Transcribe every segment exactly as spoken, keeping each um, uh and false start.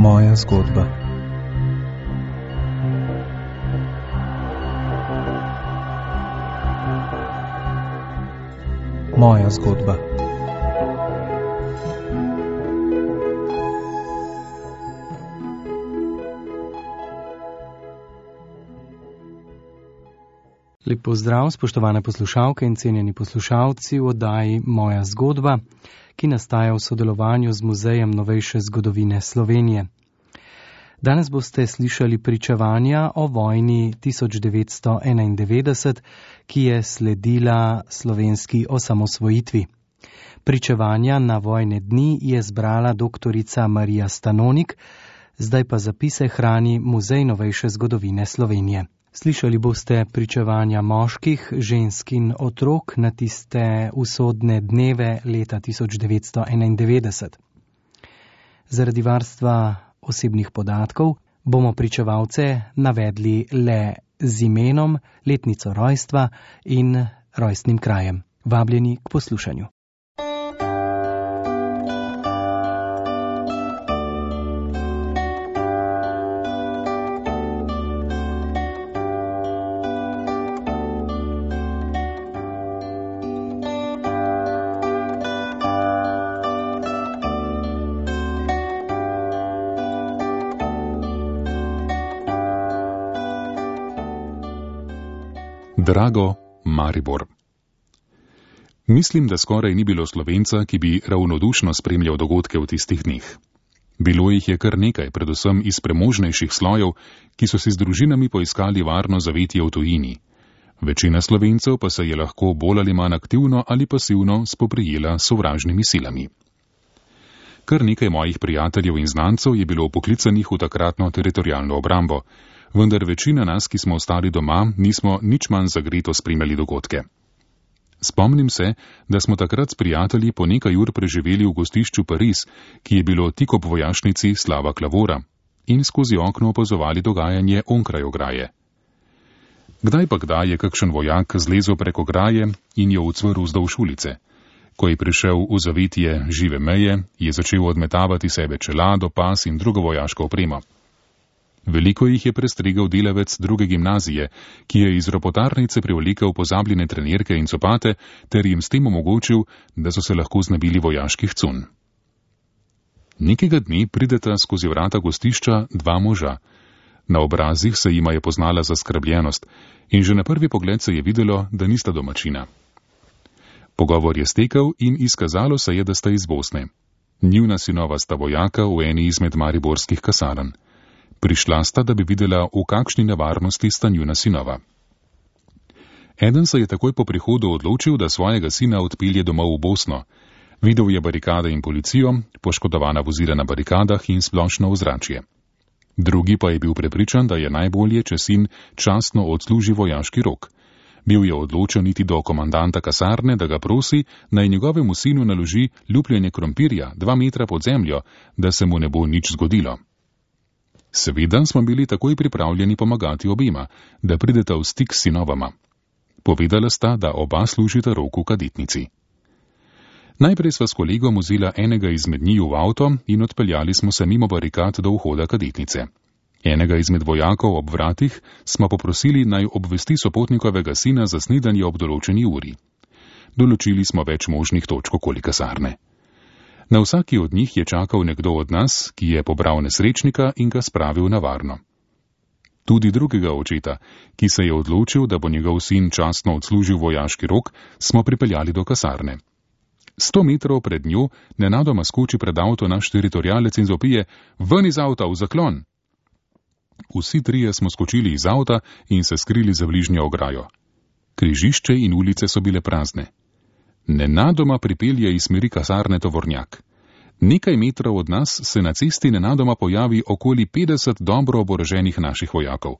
Moja zgodba. Moja zgodba. Lep pozdrav, spoštovane poslušalke in cenjeni poslušalci v oddaji Moja zgodba, ki nastaja v sodelovanju z Muzejem novejše zgodovine Slovenije. Danes boste slišali pričevanja o vojni tisoč devetsto enaindevetdeset, ki je sledila slovenski osamosvojitvi. Pričevanja na vojne dni je zbrala doktorica Marija Stanonik, zdaj pa zapise hrani Muzej novejše zgodovine Slovenije. Slišali boste pričevanja moških, žensk in otrok na tiste usodne dneve leta tisoč devetsto enaindevetdeset. Zaradi varstva osebnih podatkov bomo pričevalce navedli le z imenom, letnico rojstva in rojstnim krajem. Vabljeni k poslušanju. Drago Maribor. Mislim, da skoraj ni bilo Slovenca, ki bi ravnodušno spremljal dogodke v tistih dneh. Bilo jih je kar nekaj, predvsem iz premožnejših slojev, ki so si z družinami poiskali varno zavetje v tujini. Večina Slovencev pa se je lahko bolj ali manj aktivno ali pasivno spoprijela s sovražnimi silami. Kar nekaj mojih prijateljev in znancev je bilo poklicanih v takratno teritorialno obrambo, vendar večina nas, ki smo ostali doma, nismo nič manj zagreto spremljali dogodke. Spomnim se, da smo takrat s prijatelji po nekaj ur preživeli v gostišču Pariz, ki je bilo tik ob vojašnici Slava Klavora, in skozi okno opazovali dogajanje onkraj ograje. Kdaj pa kdaj je kakšen vojak zlezel prek ograje in jo ucvrl vzdolž ulice. Ko je prišel v zavetje žive meje, je začel odmetavati sebe čelado, pas in drugo vojaško opremo. Veliko jih je prestregel delavec druge gimnazije, ki je iz ropotarnice privlekel pozabljene trenirke in copate ter jim s tem omogočil, da so se lahko znebili vojaških cunj. Nekega dne prideta skozi vrata gostišča dva moža. Na obrazih se jima je poznala zaskrbljenost in že na prvi pogled se je videlo, da nista domačina. Pogovor je stekel in izkazalo se je, da sta iz Bosne. Njuna sinova sta vojaka v eni izmed mariborskih kasarn. Prišla sta, da bi videla, v kakšni nevarnosti sta njuna sinova. Eden se je takoj po prihodu odločil, da svojega sina odpelje domov v Bosno. Videl je barikade in policijo, poškodovana vozila na barikadah in splošno ozračje. Drugi pa je bil prepričan, da je najbolje, če sin častno odsluži vojaški rok. Bil je odločen iti do komandanta kasarne, da ga prosi, naj njegovemu sinu naloži lupljenje krompirja dva metra pod zemljo, da se mu ne bo nič zgodilo. Seveda smo bili takoj pripravljeni pomagati obima, da prideta v stik s sinovama. Povedala sta, da oba služita rok v kadetnici. Najprej sva s kolegom vzela enega izmed njiju v avto in odpeljali smo se mimo barikad do vhoda kadetnice. Enega izmed vojakov ob vratih smo poprosili, naj obvesti sopotnikovega sina za snidanje ob določeni uri. Določili smo več možnih točk okoli kasarne. Na vsaki od njih je čakal nekdo od nas, ki je pobral nesrečnika in ga spravil na varno. Tudi drugega očeta, ki se je odločil, da bo njegov sin častno odslužil vojaški rok, smo pripeljali do kasarne. Sto metrov pred njo nenadoma skoči pred avto naš teritorialec in zopije: "Ven iz avta, v zaklon!" Vsi trije smo skočili iz avta in se skrili za bližnjo ograjo. Križišče in ulice so bile prazne. Nenadoma pripelje iz smeri kasarne tovornjak. Nekaj metrov od nas se na cesti nenadoma pojavi okoli petdeset dobro oboroženih naših vojakov.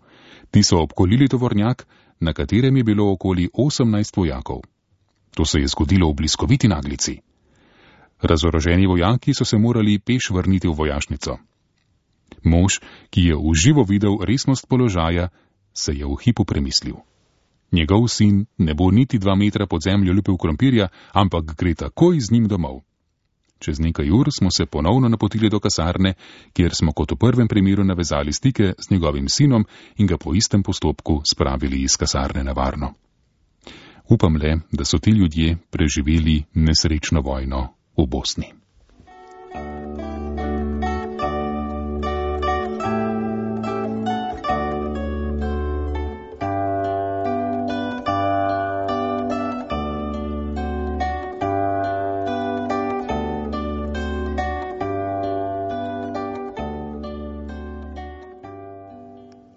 Ti so obkolili tovornjak, na katerem je bilo okoli osemnajst vojakov. To se je zgodilo v bliskoviti naglici. Razoroženi vojaki so se morali peš vrniti v vojašnico. Mož, ki je v živo videl resnost položaja, se je v hipu premislil. Njegov sin ne bo niti dva metra pod zemljo lupil krompirja, ampak gre takoj z njim domov. Čez nekaj ur smo se ponovno napotili do kasarne, kjer smo kot v prvem primeru navezali stike z njegovim sinom in ga po istem postopku spravili iz kasarne na varno. Upam le, da so ti ljudje preživeli nesrečno vojno v Bosni.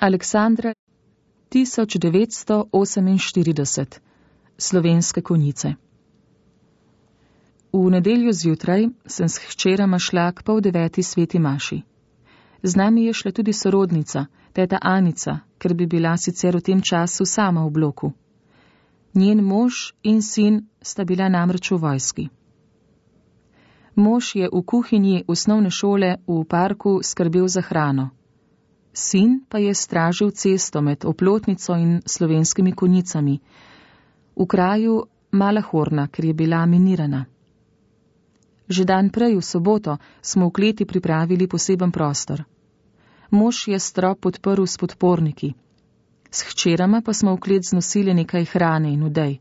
Aleksandra, tisoč devetsto oseminštirideset. Slovenske konjice. V nedeljo zjutraj sem s hčerama šla k pol deveti sveti maši. Z nami je šla tudi sorodnica, teta Anica, ker bi bila sicer v tem času sama v bloku. Njen mož in sin sta bila namreč v vojski. Mož je v kuhinji osnovne šole v parku skrbel za hrano. Sin pa je stražil cesto med Oplotnico in Slovenskimi konjicami, v kraju Mala Horna, ker je bila minirana. Že dan prej, v soboto, smo v kleti pripravili poseben prostor. Mož je strop podprl s podporniki. S hčerama pa smo v klet znosili nekaj hrane in udej.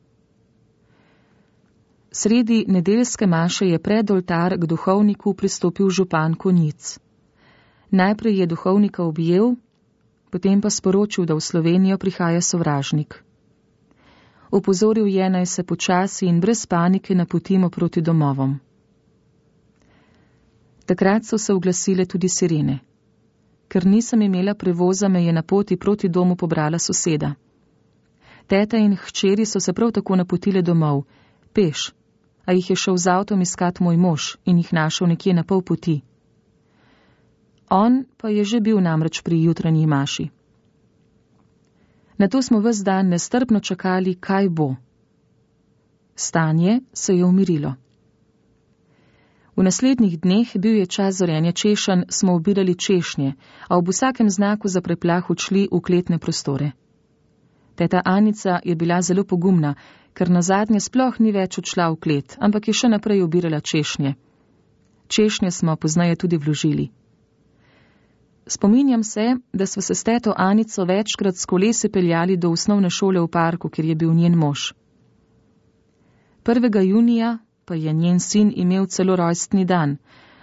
Sredi nedeljske maše je pred oltar k duhovniku pristopil župan konjic. Najprej je duhovnika objel, potem pa sporočil, da v Slovenijo prihaja sovražnik. Opozoril je, naj se počasi in brez panike napotimo proti domovom. Takrat so se oglasile tudi sirene. Ker nisem imela prevoza, me je na poti proti domu pobrala soseda. Teta in hčeri so se prav tako napotile domov, peš, a jih je šel z avtom iskat moj mož in jih našel nekje na pol poti. On pa je že bil namreč pri jutranji maši. Nato smo ves dan nestrpno čakali, kaj bo. Stanje se je umirilo. V naslednjih dneh, bil je čas zorenja češenj, smo obirali češnje, a ob vsakem znaku za preplah odšli v kletne prostore. Teta Anica je bila zelo pogumna, ker nazadnje sploh ni več odšla v klet, ampak je še naprej obirala češnje. Češnje smo poznaje tudi vložili. Spominjam se, da smo se s teto Anico večkrat s kolesi peljali do osnovne šole v parku, kjer je bil njen mož. prvega junija pa je njen sin imel celo rojstni dan,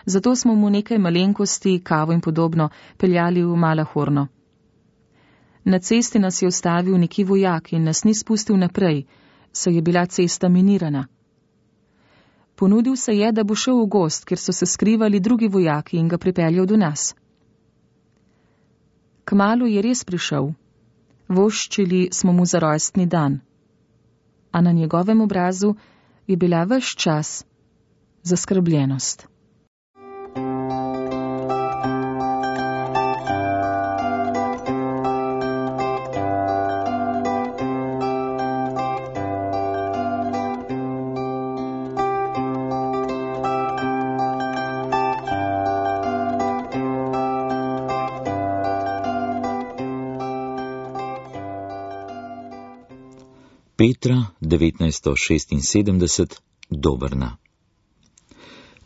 zato smo mu nekaj malenkosti, kavo in podobno, peljali v Mala Horno. Na cesti nas je ustavil neki vojak in nas ni spustil naprej, saj je bila cesta minirana. Ponudil se je, da bo šel v gozd, kjer so se skrivali drugi vojaki, in ga pripeljal do nas. Kmalu je res prišel. Voščili smo mu za rojstni dan. A na njegovem obrazu je bila ves čas zaskrbljenost. Petra, devetnajststo šestinsedemdeset, Dobrna.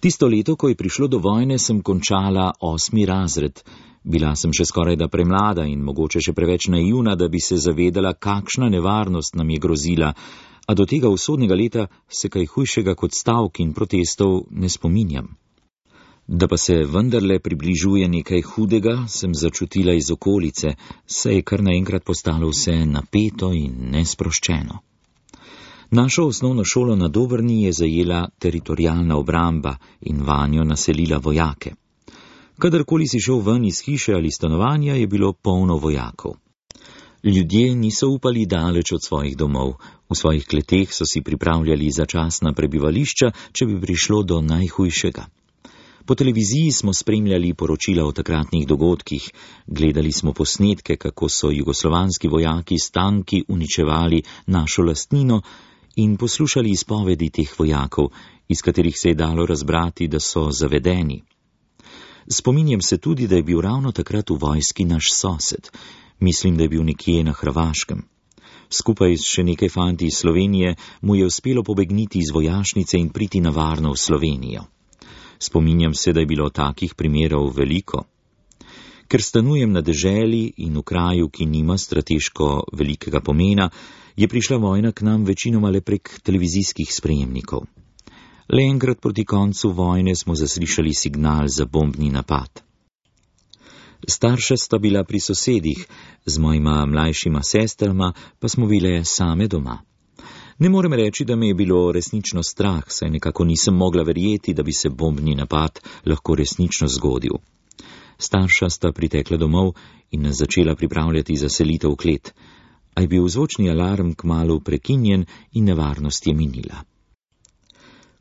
Tisto leto, ko je prišlo do vojne, sem končala osmi razred. Bila sem še skoraj da premlada in mogoče še preveč naivna, da bi se zavedala, kakšna nevarnost nam je grozila, a do tega usodnega leta se kaj hujšega kot stavk in protestov ne spominjam. Da pa se vendarle približuje nekaj hudega, sem začutila iz okolice, saj je kar naenkrat postalo vse napeto in nesproščeno. Našo osnovno šolo na Dobrni je zajela teritorialna obramba in vanjo naselila vojake. Kadarkoli si šel ven iz hiše ali stanovanja, je bilo polno vojakov. Ljudje niso upali daleč od svojih domov, v svojih kleteh so si pripravljali začasna prebivališča, če bi prišlo do najhujšega. Po televiziji smo spremljali poročila o takratnih dogodkih, gledali smo posnetke, kako so jugoslovanski vojaki s tanki uničevali našo lastnino, in poslušali izpovedi teh vojakov, iz katerih se je dalo razbrati, da so zavedeni. Spominjam se tudi, da je bil ravno takrat v vojski naš sosed. Mislim, da je bil nekje na Hrvaškem. Skupaj s še nekaj fanti iz Slovenije mu je uspelo pobegniti iz vojašnice in priti na varno v Slovenijo. Spominjam se, da je bilo takih primerov veliko. Ker stanujem na deželi in v kraju, ki nima strateško velikega pomena, je prišla vojna k nam večinoma le prek televizijskih sprejemnikov. Le enkrat proti koncu vojne smo zaslišali signal za bombni napad. Starša sta bila pri sosedih, z mojima mlajšima sestrama pa smo bile same doma. Ne morem reči, da me je bilo resnično strah, saj nekako nisem mogla verjeti, da bi se bombni napad lahko resnično zgodil. Starša sta pritekla domov in nas začela pripravljati za selitev v klet, a je bil zvočni alarm kmalu prekinjen in nevarnost je minila.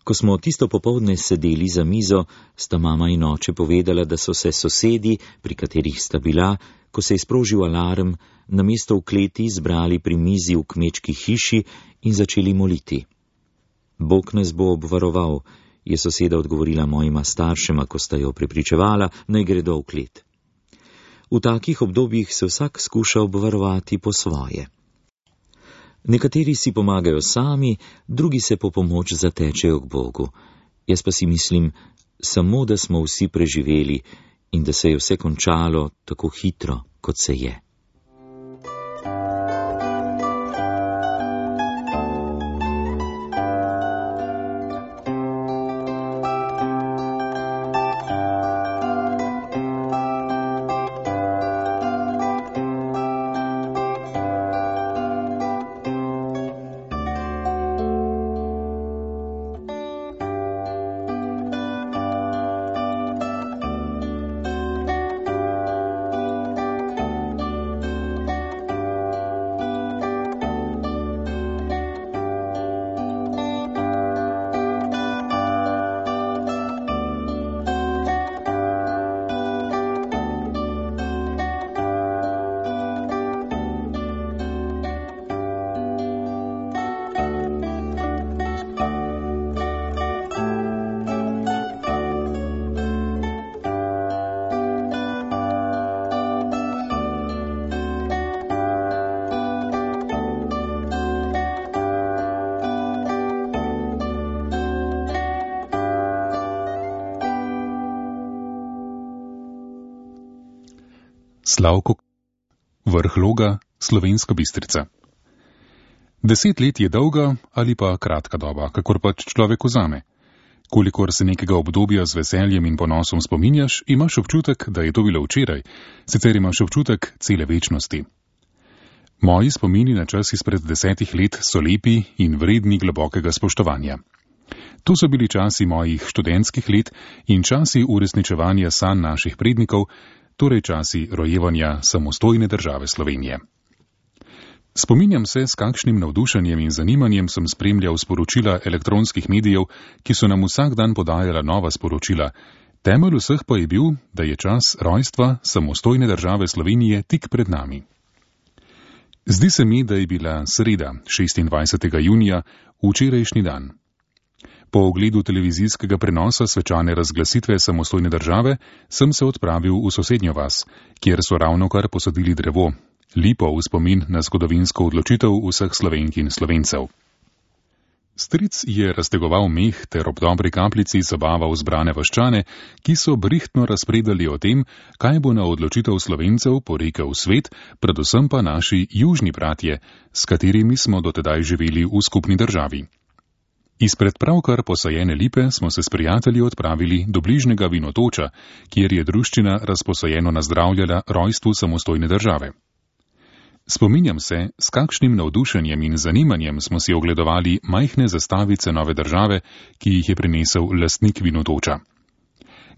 Ko smo tisto popoldne sedeli za mizo, sta mama in oče povedala, da so se sosedi, pri katerih sta bila, ko se je sprožil alarm, namesto v kleti zbrali pri mizi v kmečki hiši in začeli moliti. Bog nas bo obvaroval, je soseda odgovorila mojima staršema, ko sta jo prepričevala, naj gredo v klet. V takih obdobjih se vsak skuša obvarovati po svoje. Nekateri si pomagajo sami, drugi se po pomoč zatečejo k Bogu. Jaz pa si mislim, samo da smo vsi preživeli in da se je vse končalo tako hitro, kot se je. Slavko, Vrh Loga, Slovenska Bistrica. Deset let je dolga ali pa kratka doba, kakor pač človek vzame. Kolikor se nekega obdobja z veseljem in ponosom spominjaš, imaš občutek, da je to bilo včeraj, sicer imaš občutek cele večnosti. Moji spomini na čas izpred desetih let so lepi in vredni globokega spoštovanja. To so bili časi mojih študentskih let in časi uresničevanja sanj naših prednikov, torej časi rojevanja samostojne države Slovenije. Spominjam se, s kakšnim navdušenjem in zanimanjem sem spremljal sporočila elektronskih medijev, ki so nam vsak dan podajala nova sporočila. Temelj vseh pa je bil, da je čas rojstva samostojne države Slovenije tik pred nami. Zdi se mi, da je bila sreda, šestindvajsetega junija, včerajšnji dan. Po ogledu televizijskega prenosa svečane razglasitve samostojne države sem se odpravil v sosednjo vas, kjer so ravnokar posadili drevo, lipo v spomin na zgodovinsko odločitev vseh Slovenk in Slovencev. Stric je raztegoval meh ter ob dobri kapljici zabaval zbrane vaščane, ki so brihtno razpredali o tem, kaj bo na odločitev Slovencev porekel svet, predvsem pa naši južni bratje, s katerimi smo dotedaj živeli v skupni državi. Izpred pravkar posajene lipe smo se s prijatelji odpravili do bližnjega vinotoča, kjer je druščina razposajeno nazdravljala rojstvu samostojne države. Spominjam se, s kakšnim navdušenjem in zanimanjem smo si ogledovali majhne zastavice nove države, ki jih je prinesel lastnik vinotoča.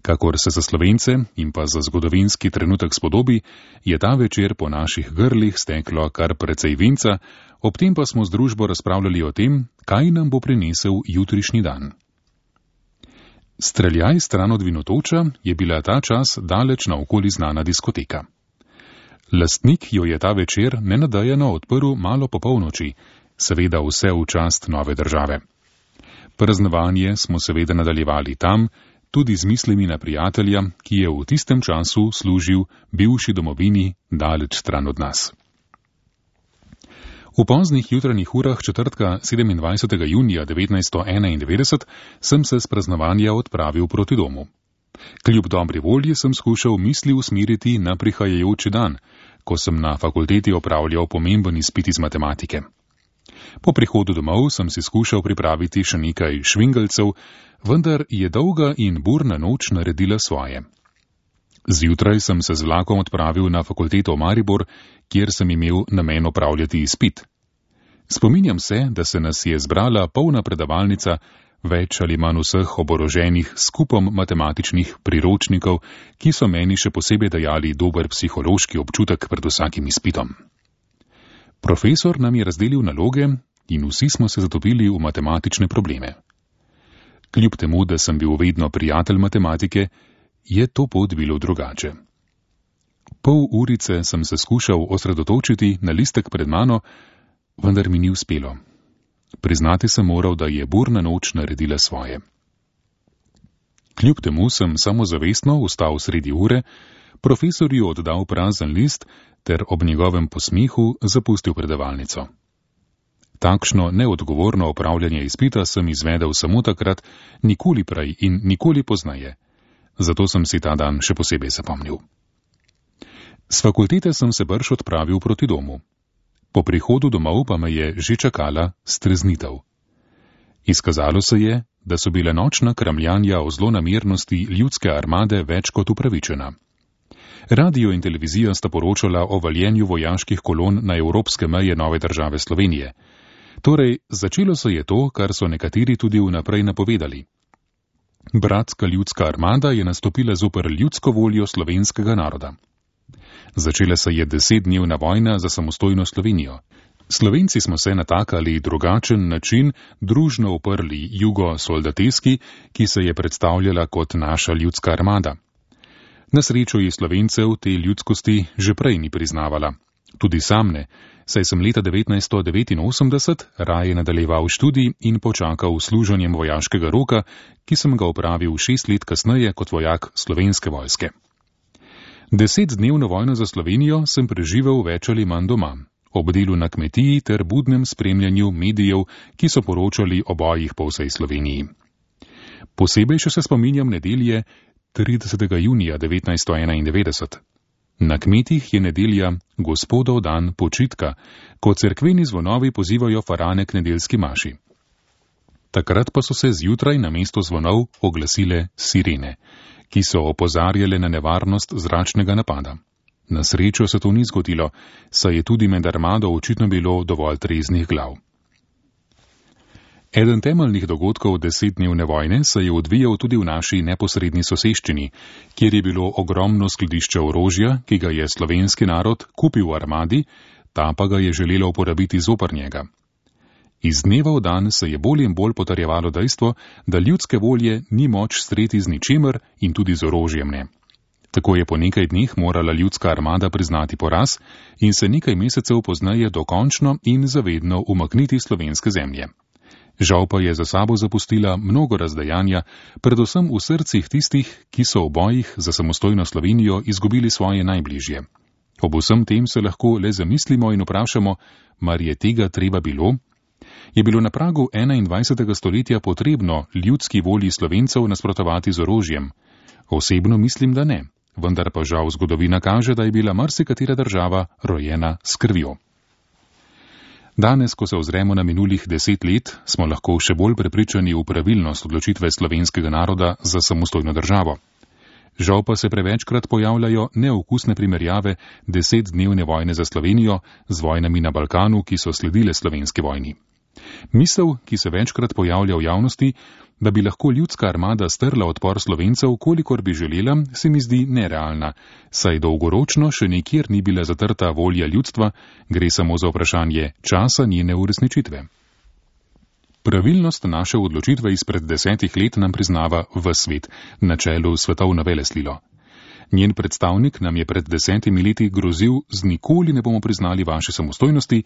Kakor se za Slovence in pa za zgodovinski trenutek spodobi, je ta večer po naših grlih steklo kar precej vinca, ob tem pa smo z družbo razpravljali o tem, kaj nam bo prinesel jutrišnji dan. Streljaj stran od vinotoča je bila ta čas daleč naokoli znana diskoteka. Lastnik jo je ta večer nenadejano odprl malo po polnoči, seveda vse v čast nove države. Praznovanje smo seveda nadaljevali tam, tudi z mislimi na prijatelja, ki je v tistem času služil bivši domovini daleč stran od nas. V poznih jutranjih urah četrtka sedemindvajsetega junija devetnajststo enaindevetdeset sem se s praznovanja odpravil proti domu. Kljub dobri volji sem skušal misli usmeriti na prihajajoči dan, ko sem na fakulteti opravljal pomemben izpit iz matematike. Po prihodu domov sem si skušal pripraviti še nekaj švingalcev, vendar je dolga in burna noč naredila svoje. Zjutraj sem se z vlakom odpravil na fakulteto Maribor, kjer sem imel namen opravljati izpit. Spominjam se, da se nas je zbrala polna predavalnica, več ali manj vseh oboroženih s kupom matematičnih priročnikov, ki so meni še posebej dajali dober psihološki občutek pred vsakim izpitom. Profesor nam je razdelil naloge in vsi smo se zatopili v matematične probleme. Kljub temu, da sem bil vedno prijatelj matematike, je to pot bilo drugače. Pol urice sem se skušal osredotočiti na listek pred mano, vendar mi ni uspelo. Priznati sem moral, da je burna noč naredila svoje. Kljub temu sem samozavestno vstal sredi ure, profesorju oddal prazen list ter ob njegovem posmehu zapustil predavalnico. Takšno neodgovorno opravljanje izpita sem izvedel samo takrat, nikoli prej in nikoli poznaje. Zato sem si ta dan še posebej zapomnil. S fakultete sem se brž odpravil proti domu. Po prihodu domov pa me je že čakala streznitev. Izkazalo se je, da so bile nočna kramljanja o zlonamernosti ljudske armade več kot upravičena. Radio in televizija sta poročala o valjenju vojaških kolon na evropske meje nove države Slovenije. Torej, začelo se je to, kar so nekateri tudi vnaprej napovedali. Bratska ljudska armada je nastopila zoper ljudsko voljo slovenskega naroda. Začela se je desetdnevna vojna za samostojno Slovenijo. Slovenci smo se na tak ali drugačen način družno uprli jugo-soldateski, ki se je predstavljala kot naša ljudska armada. Na srečo je Slovencev te ljudskosti že prej ni priznavala. Tudi sam ne, saj sem leta devetnajststo devetinosemdeset raje nadaljeval študij in počakal služenjem vojaškega roka, ki sem ga opravil šest let kasneje kot vojak Slovenske vojske. Desetdnevno vojno za Slovenijo sem preživel več ali manj doma, ob delu na kmetiji ter budnem spremljanju medijev, ki so poročali o bojih po vsej Sloveniji. Posebej še se spominjam nedelje tridesetega junija devetnajststo enaindevetdeset. Na kmetih je nedelja Gospodov dan počitka, ko cerkveni zvonovi pozivajo farane k nedeljski maši. Takrat pa so se zjutraj na mesto zvonov oglasile sirene, ki so opozarjale na nevarnost zračnega napada. Na srečo se to ni zgodilo, saj je tudi med armado očitno bilo dovolj treznih glav. Eden temeljnih dogodkov desetdnevne vojne se je odvijal tudi v naši neposredni soseščini, kjer je bilo ogromno skladišče orožja, ki ga je slovenski narod kupil v armadi, ta pa ga je želela uporabiti zoper njega. Iz dneva v dan se je bolj in bolj potrjevalo dejstvo, da ljudske volje ni moč streti z ničemer in tudi z orožjem ne. Tako je po nekaj dneh morala ljudska armada priznati poraz in se nekaj mesecev pozneje dokončno in zavedno umakniti slovenske zemlje. Žal pa je za sabo zapustila mnogo razdejanja, predvsem v srcih tistih, ki so v bojih za samostojno Slovenijo izgubili svoje najbližje. Ob vsem tem se lahko le zamislimo in vprašamo, mar je tega treba bilo? Je bilo na pragu enaindvajsetega stoletja potrebno ljudski volji Slovencev nasprotovati z orožjem? Osebno mislim, da ne, vendar pa žal zgodovina kaže, da je bila marsikatera država rojena s krvjo. Danes, ko se ozremo na minulih deset let, smo lahko še bolj prepričani v pravilnost odločitve slovenskega naroda za samostojno državo. Žal pa se prevečkrat pojavljajo neokusne primerjave desetdnevne vojne za Slovenijo z vojnami na Balkanu, ki so sledile slovenski vojni. Misel, ki se večkrat pojavlja v javnosti, da bi lahko ljudska armada strla odpor Slovencev, kolikor bi želela, se mi zdi nerealna, saj dolgoročno še nikjer ni bila zatrta volja ljudstva, gre samo za vprašanje časa njene uresničitve. Pravilnost naše odločitve izpred desetih let nam priznava ves svet, na čelu svetovno veleslilo. Njen predstavnik nam je pred desetimi leti grozil, z nikoli ne bomo priznali vaše samostojnosti,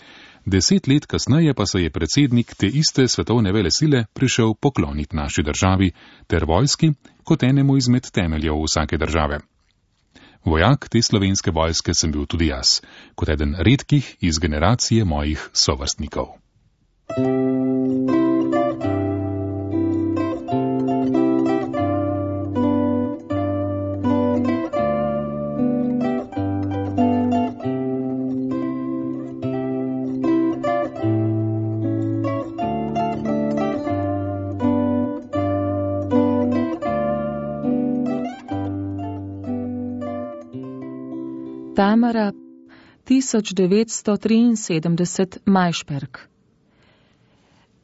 deset let kasneje pa se je predsednik te iste svetovne velesile prišel pokloniti naši državi ter vojski kot enemu izmed temeljev vsake države. Vojak te slovenske vojske sem bil tudi jaz, kot eden redkih iz generacije mojih sovrstnikov. Tamara, tisoč devetsto triinsedemdeset, Majšperk.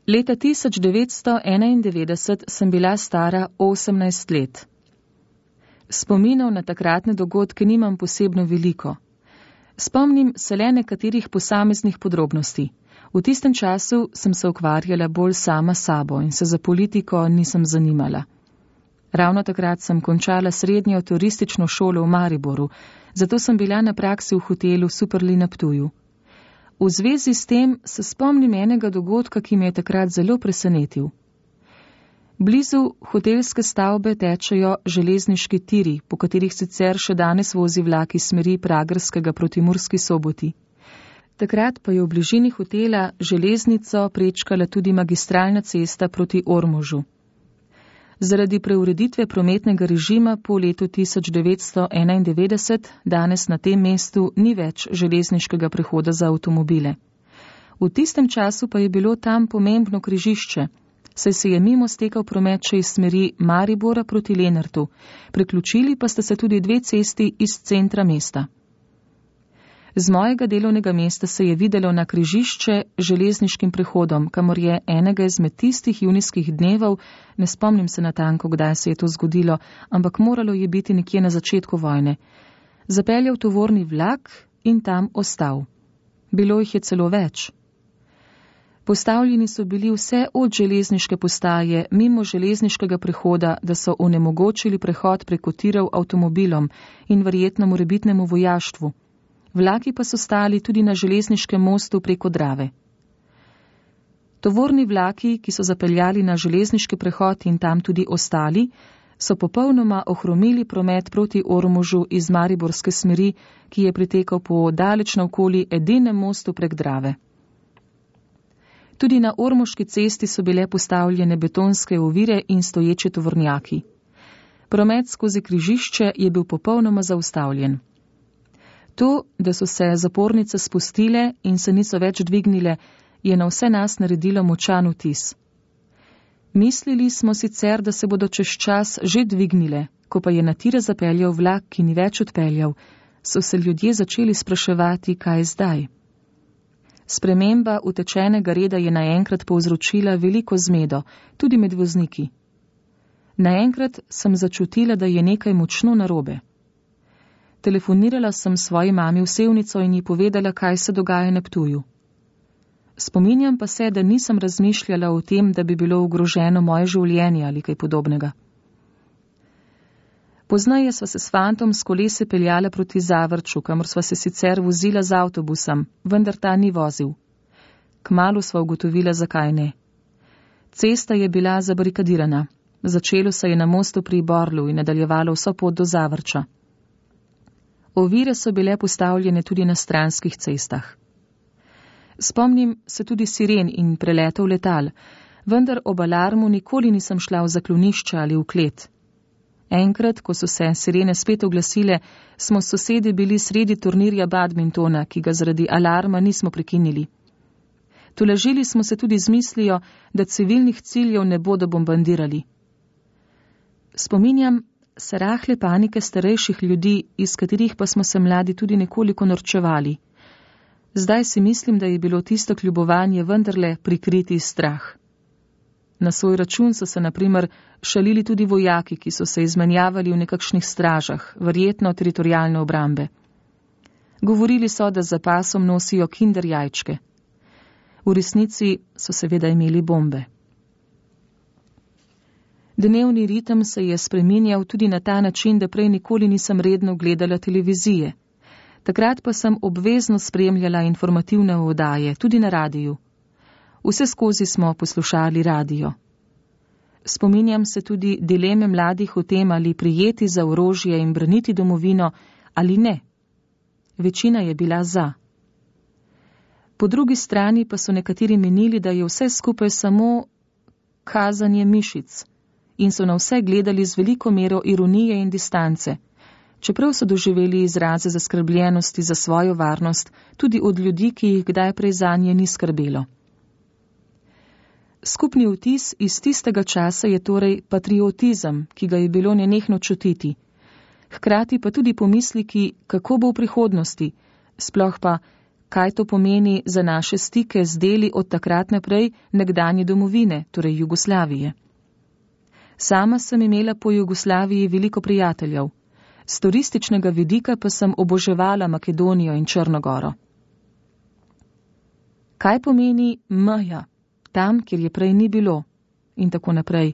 Leta tisoč devetsto enaindevetdeset sem bila stara osemnajst let. Spominov na takratne dogodke nimam posebno veliko. Spomnim se le nekaterih posameznih podrobnosti. V tistem času sem se ukvarjala bolj sama sabo in se za politiko nisem zanimala. Ravno takrat sem končala srednjo turistično šolo v Mariboru, zato sem bila na praksi v hotelu Superli na Ptuju. V zvezi s tem se spomnim enega dogodka, ki me je takrat zelo presenetil. Blizu hotelske stavbe tečejo železniški tiri, po katerih sicer še danes vozi vlak iz smeri Pragerskega proti Murski Soboti. Takrat pa je v bližini hotela železnico prečkala tudi magistralna cesta proti Ormožu. Zaradi preureditve prometnega režima po letu tisoč devetsto enaindevetdeset danes na tem mestu ni več železniškega prehoda za avtomobile. V tistem času pa je bilo tam pomembno križišče, saj se je mimo stekal promet še iz smeri Maribora proti Lenartu, priključili pa sta se tudi dve cesti iz centra mesta. Z mojega delovnega mesta se je videlo na križišče železniškim prehodom, kamor je enega izmed tistih junijskih dnevov, ne spomnim se natanko, kdaj se je to zgodilo, ampak moralo je biti nekje na začetku vojne, zapeljal tovorni vlak in tam ostal. Bilo jih je celo več. Postavljeni so bili vse od železniške postaje mimo železniškega prehoda, da so onemogočili prehod preko tirov avtomobilom in verjetno morebitnemu vojaštvu. Vlaki pa so stali tudi na železniškem mostu preko Drave. Tovorni vlaki, ki so zapeljali na železniški prehod in tam tudi ostali, so popolnoma ohromili promet proti Ormožu iz mariborske smeri, ki je pritekal po daleč naokoli edinem mostu prek Drave. Tudi na Ormoški cesti so bile postavljene betonske ovire in stoječi tovornjaki. Promet skozi križišče je bil popolnoma zaustavljen. To, da so se zapornice spustile in se niso več dvignile, je na vse nas naredilo močan vtis. Mislili smo sicer, da se bodo čez čas že dvignile, ko pa je na tire zapeljal vlak, ki ni več odpeljal, so se ljudje začeli spraševati, kaj zdaj. Sprememba utečenega reda je naenkrat povzročila veliko zmedo, tudi med vozniki. Naenkrat sem začutila, da je nekaj močno narobe. Telefonirala sem svoji mami v Sevnico in ji povedala, kaj se dogaja na Ptuju. Spominjam pa se, da nisem razmišljala o tem, da bi bilo ogroženo moje življenje ali kaj podobnega. Poznaje sva se s fantom s kolesi peljala proti Zavrču, kamor sva se sicer vozila z avtobusom, vendar ta ni vozil. Kmalu sva ugotovila, zakaj ne. Cesta je bila zabarikadirana. Začelo se je na mostu pri Borlu in nadaljevalo vso pot do Zavrča. Ovire so bile postavljene tudi na stranskih cestah. Spomnim se tudi siren in preletov letal, vendar ob alarmu nikoli nisem šla v zaklonišče ali v klet. Enkrat, ko so se sirene spet oglasile, smo s sosedi bili sredi turnirja badmintona, ki ga zaradi alarma nismo prekinili. Tolažili smo se tudi z mislijo, da civilnih ciljev ne bodo bombardirali. Spominjam se rahle panike starejših ljudi, iz katerih pa smo se mladi tudi nekoliko norčevali. Zdaj si mislim, da je bilo tisto kljubovanje vendarle prikriti strah. Na svoj račun so se na primer šalili tudi vojaki, ki so se izmenjavali v nekakšnih stražah, verjetno teritorijalne obrambe. Govorili so, da za pasom nosijo kinder jajčke. V resnici so seveda imeli bombe. Dnevni ritem se je spreminjal tudi na ta način, da prej nikoli nisem redno gledala televizije. Takrat pa sem obvezno spremljala informativne oddaje, tudi na radiju. Vse skozi smo poslušali radio. Spominjam se tudi dileme mladih o tem, ali prijeti za orožje in braniti domovino, ali ne. Večina je bila za. Po drugi strani pa so nekateri menili, da je vse skupaj samo kazanje mišic in so na vse gledali z veliko mero ironije in distance, čeprav so doživeli izraze zaskrbljenosti za svojo varnost tudi od ljudi, ki jih kdaj prej zanje ni skrbelo. Skupni vtis iz tistega časa je torej patriotizem, ki ga je bilo nenehno čutiti, hkrati pa tudi pomisliki, kako bo v prihodnosti, sploh pa, kaj to pomeni za naše stike z deli od takrat naprej nekdanje domovine, torej Jugoslavije. Sama sem imela po Jugoslaviji veliko prijateljev, z turističnega vidika pa sem oboževala Makedonijo in Črnogoro. Kaj pomeni meja, tam, kjer je prej ni bilo, in tako naprej.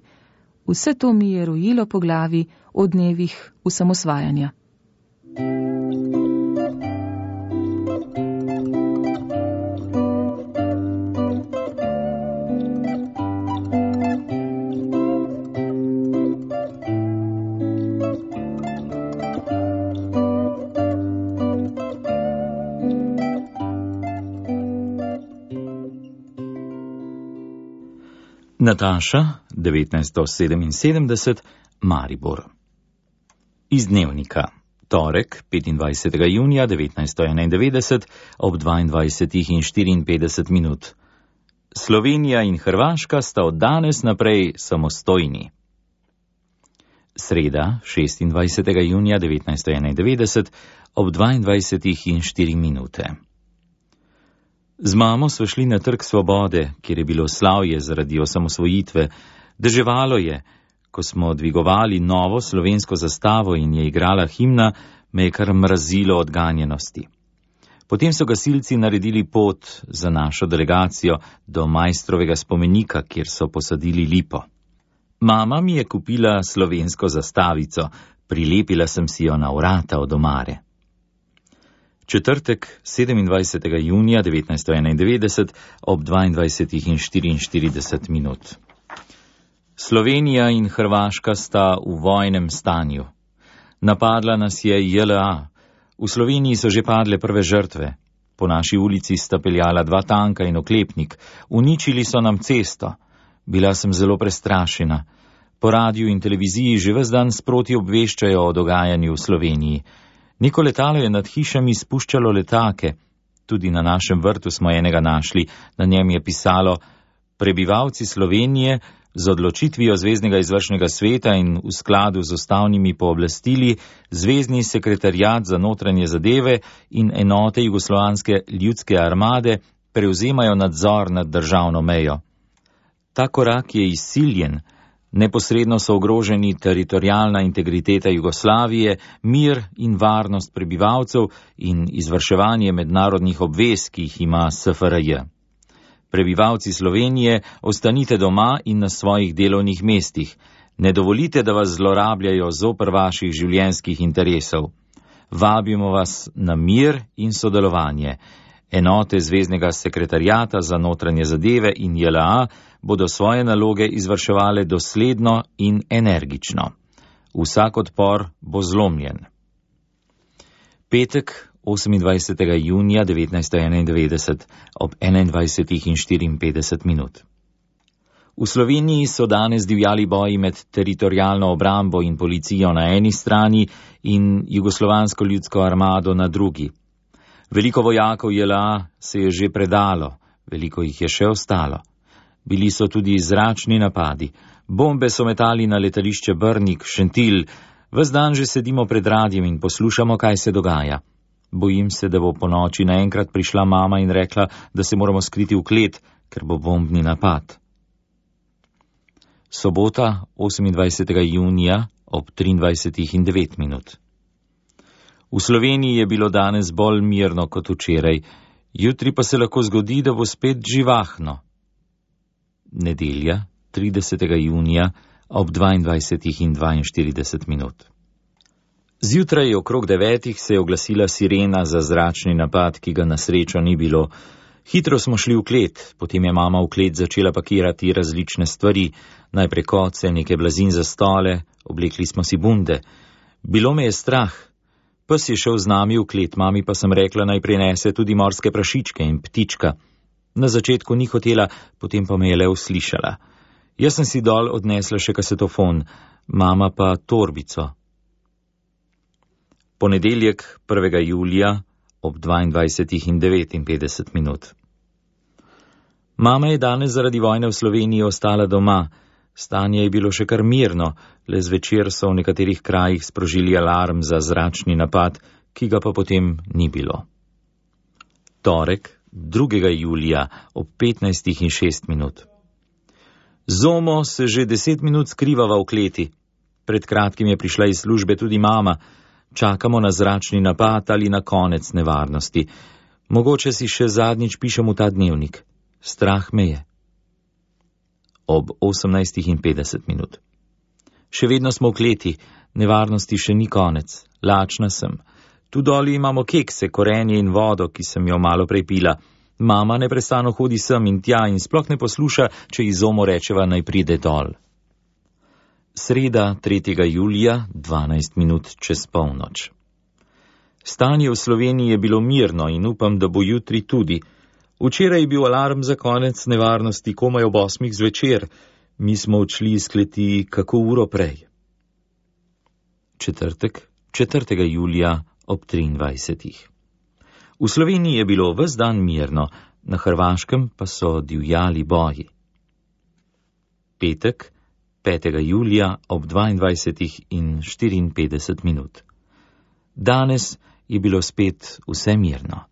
Vse to mi je rojilo po glavi o dnevih osamosvajanja. Nataša, devetnajststo sedeminsedemdeset, Maribor. Iz dnevnika. Torek, petindvajsetega junija devetnajststo enaindevetdeset, ob dvaindvajsetih in štiriinpetdeset minut. Slovenija in Hrvaška sta od danes naprej samostojni. Sreda, šestindvajsetega junija devetnajststo enaindevetdeset, ob dvaindvajsetih in štiri minute. Z mamo sva šli na Trg svobode, kjer je bilo slavje zaradi osamosvojitve. Deževalo je. Ko smo dvigovali novo slovensko zastavo in je igrala himna, me je kar mrazilo od ganjenosti. Potem so gasilci naredili pot za našo delegacijo do Maistrovega spomenika, kjer so posadili lipo. Mama mi je kupila slovensko zastavico, prilepila sem si jo na vrata od omare. Četrtek, sedemindvajsetega junija devetnajststo enaindevetdeset, ob dvaindvajsetih in štiriinštirideset minut. Slovenija in Hrvaška sta v vojnem stanju. Napadla nas je J L A. V Sloveniji so že padle prve žrtve. Po naši ulici sta peljala dva tanka in oklepnik. Uničili so nam cesto. Bila sem zelo prestrašena. Po radiju in televiziji že ves dan sproti obveščajo o dogajanju v Sloveniji. Neko letalo je nad hišami spuščalo letake. Tudi na našem vrtu smo enega našli. Na njem je pisalo: prebivalci Slovenije z odločitvijo Zveznega izvršnega sveta in v skladu z ustavnimi pooblastili Zvezni sekretariat za notranje zadeve in enote Jugoslovanske ljudske armade prevzemajo nadzor nad državno mejo. Ta korak je izsiljen. Neposredno so ogroženi teritorialna integriteta Jugoslavije, mir in varnost prebivalcev in izvrševanje mednarodnih obvez, ki jih ima S F R J. Prebivalci Slovenije, ostanite doma in na svojih delovnih mestih. Ne dovolite, da vas zlorabljajo zoper vaših življenjskih interesov. Vabimo vas na mir in sodelovanje. Enote Zveznega sekretariata za notranje zadeve in J L A bodo svoje naloge izvrševale dosledno in energično. Vsak odpor bo zlomljen. Petek, osemindvajsetega junija devetnajststo enaindevetdeset, ob enaindvajsetih in štiriinpetdeset minut. V Sloveniji so danes divjali boji med teritorialno obrambo in policijo na eni strani in Jugoslovansko ljudsko armado na drugi. Veliko vojakov J L A se je že predalo, veliko jih je še ostalo. Bili so tudi zračni napadi. Bombe so metali na letališče Brnik, Šentilj. Ves dan že sedimo pred radiem in poslušamo, kaj se dogaja. Bojim se, da bo po noči naenkrat prišla mama in rekla, da se moramo skriti v klet, ker bo bombni napad. Sobota, osemindvajsetega junija, ob triindvajsetih in devet minut. V Sloveniji je bilo danes bolj mirno kot včeraj, jutri pa se lahko zgodi, da bo spet živahno. Nedelja, tridesetega junija, ob dvaindvajsetih in dvainštirideset minut. Zjutraj okrog devetih se je oglasila sirena za zračni napad, ki ga na srečo ni bilo. Hitro smo šli v klet, potem je mama v klet začela pakirati različne stvari, najprej koce, neke blazin za stole, oblekli smo si bunde. Bilo me je strah. Pes je šel z nami v klet, mami pa sem rekla, naj prinese tudi morske prašičke in ptička. Na začetku ni hotela, potem pa me je le uslišala. Jaz sem si dol odnesla še kasetofon, mama pa torbico. Ponedeljek, prvega julija, ob dvaindvajsetih in devetinpetdeset minut. Mama je danes zaradi vojne v Sloveniji ostala doma. Stanje je bilo še kar mirno, le zvečer so v nekaterih krajih sprožili alarm za zračni napad, ki ga pa potem ni bilo. Torek, drugega julija, ob petnajstih in šest minut. Zomo se že deset minut skrivava v kleti. Pred kratkim je prišla iz službe tudi mama. Čakamo na zračni napad ali na konec nevarnosti. Mogoče si še zadnjič pišem v ta dnevnik. Strah me je. Ob osemnajstih in petdeset minut. Še vedno smo v kleti, nevarnosti še ni konec. Lačna sem. Tu doli imamo kekse, korenje in vodo, ki sem jo malo prej pila. Mama neprestano hodi sem in tja in sploh ne posluša, če ji Zomo rečeva, naj pride dol. Sreda, tretjega julija, dvanajst minut čez polnoč. Stanje v Sloveniji je bilo mirno in upam, da bo jutri tudi. Včeraj je bil alarm za konec nevarnosti komaj ob osmih zvečer. Mi smo odšli iz kleti kako uro prej. Četrtek, četrtega julija ob triindvajsetih. V Sloveniji je bilo ves dan mirno, na Hrvaškem pa so divjali boji. Petek, petega julija ob dvaindvajsetih in štiriinpetdeset minut. Danes je bilo spet vse mirno.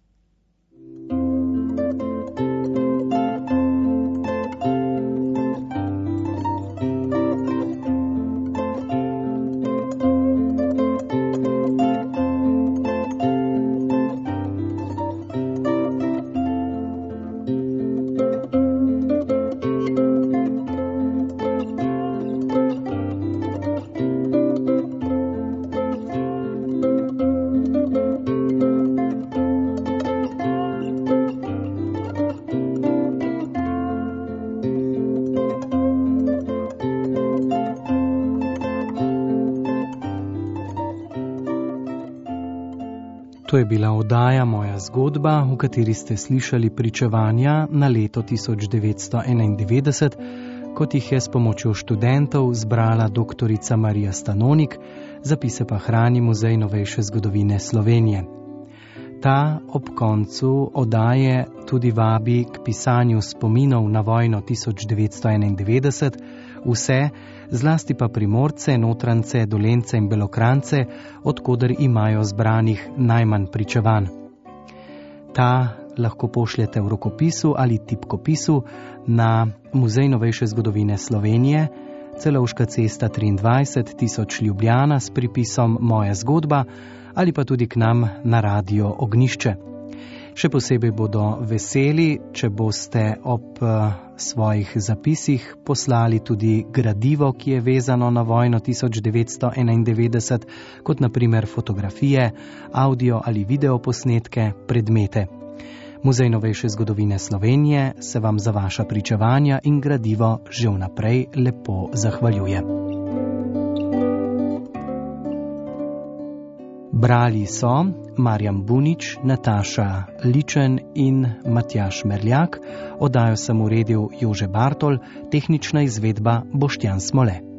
To je bila oddaja Moja zgodba, v kateri ste slišali pričevanja na leto tisoč devetsto enaindevetdeset, kot jih je s pomočjo študentov zbrala doktorica Marija Stanonik, zapise pa hrani Muzej novejše zgodovine Slovenije. Ta ob koncu oddaje tudi vabi k pisanju spominov na vojno tisoč devetsto enaindevetdeset, vse, zlasti pa Primorce, Notrance, Dolence in Belokrantce, odkoder imajo zbranih najmanj pričevanj. Ta lahko pošljete v rokopisu ali tipkopisu na Muzej novejše zgodovine Slovenije, Celovška cesta triindvajset tisoč Ljubljana s pripisom Moja zgodba ali pa tudi k nam na Radio Ognjišče. Še posebej bodo veseli, če boste ob svojih zapisih poslali tudi gradivo, ki je vezano na vojno tisoč devetsto enaindevetdeset, kot na primer fotografije, audio ali video posnetke, predmete. Muzej novejše zgodovine Slovenije se vam za vaša pričevanja in gradivo že vnaprej lepo zahvaljuje. Brali so Marjan Bunič, Nataša Ličen in Matjaž Merljak, oddajo sem uredil Jože Bartol, tehnična izvedba Boštjan Smole.